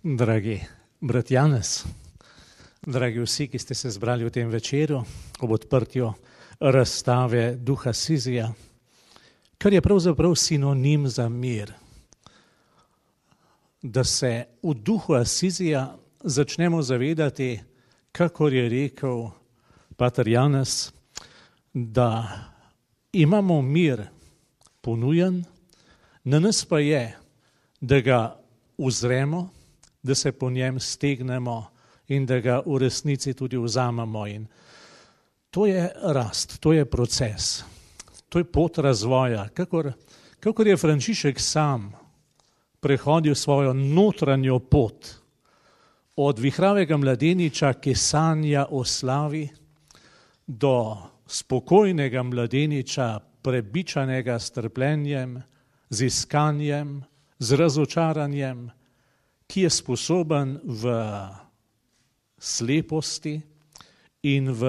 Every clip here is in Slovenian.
Dragi brat Janez, dragi vsi, ki ste se zbrali v tem večeru ob odprtju razstave duha Sizija, kar je pravzaprav sinonim za mir. Da se v duhu Asizija začnemo zavedati, kakor je rekel pater Janez, da imamo mir ponujen, na nas pa je, da ga uzremo, da se po njem stegnemo in da ga v resnici tudi vzamemo. In to je rast, to je proces, to je pot razvoja. Kakor je Frančišek sam prehodil svojo notranjo pot od vihravega mladeniča, ki sanja o slavi, do spokojnega mladeniča, prebičanega s trpljenjem, z iskanjem, z razočaranjem, ki je sposoben v sleposti in v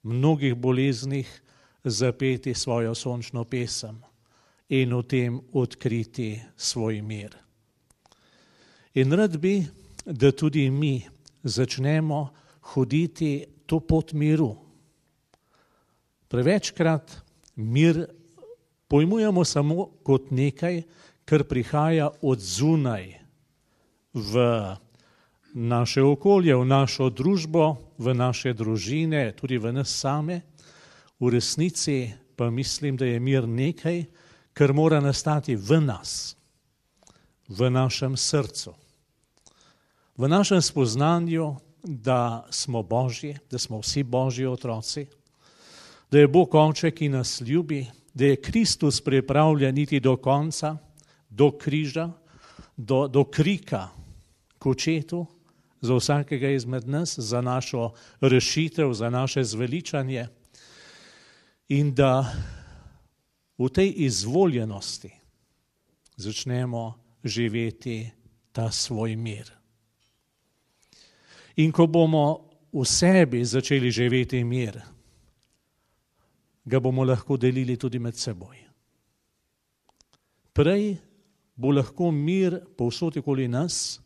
mnogih boleznih zapeti svojo sončno pesem in v tem odkriti svoj mir. In rad bi, da tudi mi začnemo hoditi to pot miru. Prevečkrat mir pojmujemo samo kot nekaj, kar prihaja od zunaj v naše okolje, v našo družbo, v naše družine, tudi v nas same. V resnici pa mislim, da je mir nekaj, kar mora nastati v nas, v našem srcu, v našem spoznanju, da smo Božji, da smo vsi Božji otroci, da je Bog Oče, ki nas ljubi, da je Kristus pripravljen iti do konca, do križa, do krika k očetu za vsakega izmed nas, za našo rešitev, za naše zveličanje in da v tej izvoljenosti začnemo živeti ta svoj mir. In ko bomo v sebi začeli živeti mir, ga bomo lahko delili tudi med seboj. Prej bo lahko mir povsod okoli nas,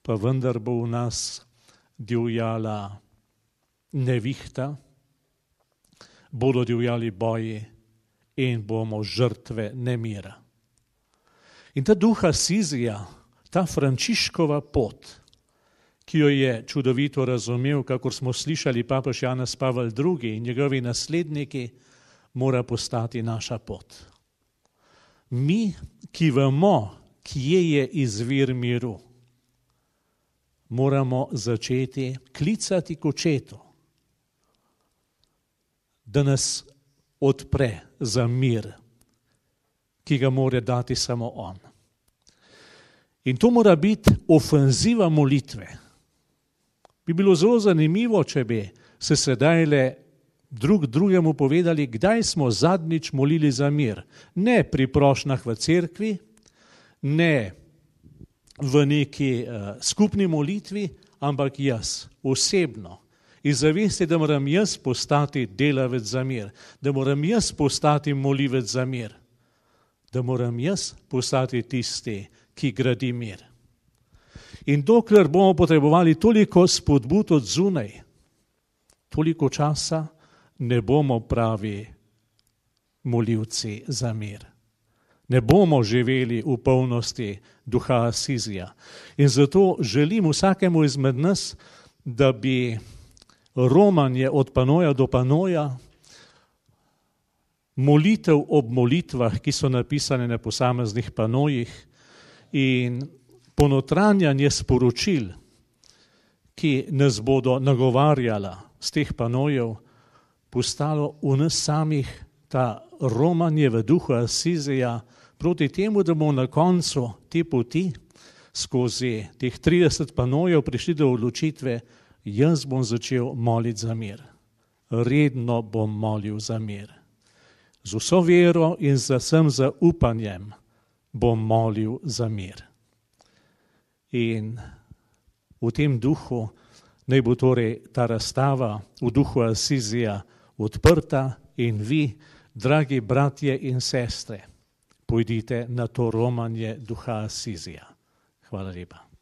pa vendar bo v nas divjala nevihta, bodo divjali boji in bomo žrtve nemira. In ta duha Sizija, ta Frančiškova pot, ki jo je čudovito razumel, kakor smo slišali papež Janez Pavel II in njegovi nasledniki, mora postati naša pot. Mi, ki vemo, kje je izvir miru, moramo začeti klicati k očetu, da nas odpre za mir, ki ga mora dati samo on. In to mora biti ofenziva molitve. Bi bilo zelo zanimivo, če bi se sedajle drug drugemu povedali, kdaj smo zadnjič molili za mir. Ne pri prošnjah v cerkvi, ne v neki skupni molitvi, ampak jaz, osebno. In zavesti, da moram jaz postati delavec za mir, da moram jaz postati molivec za mir, da moram jaz postati tisti, ki gradi mir. In dokler bomo potrebovali toliko spodbud od zunaj, toliko časa ne bomo pravi molivci za mir. Ne bomo živeli v polnosti duha Asizija. In zato želim vsakemu izmed nas, da bi romanje od panoja do panoja, molitev ob molitvah, ki so napisane na posameznih panojih, in ponotranjanje sporočil, ki nas bodo nagovarjala z teh panojev, postalo v nas samih ta romanje v duhu Asizija proti temu, da bomo na koncu te poti skozi teh 30 panojev prišli do odločitve, jaz bom začel moliti za mir. Redno bom molil za mir. Z vso vero in z vsem zaupanjem bom molil za mir. In v tem duhu naj bo torej ta razstava v duhu Asizija odprta in vi, dragi bratje in sestre, pojdite na to romanje duha Asizija. Hvala lepa.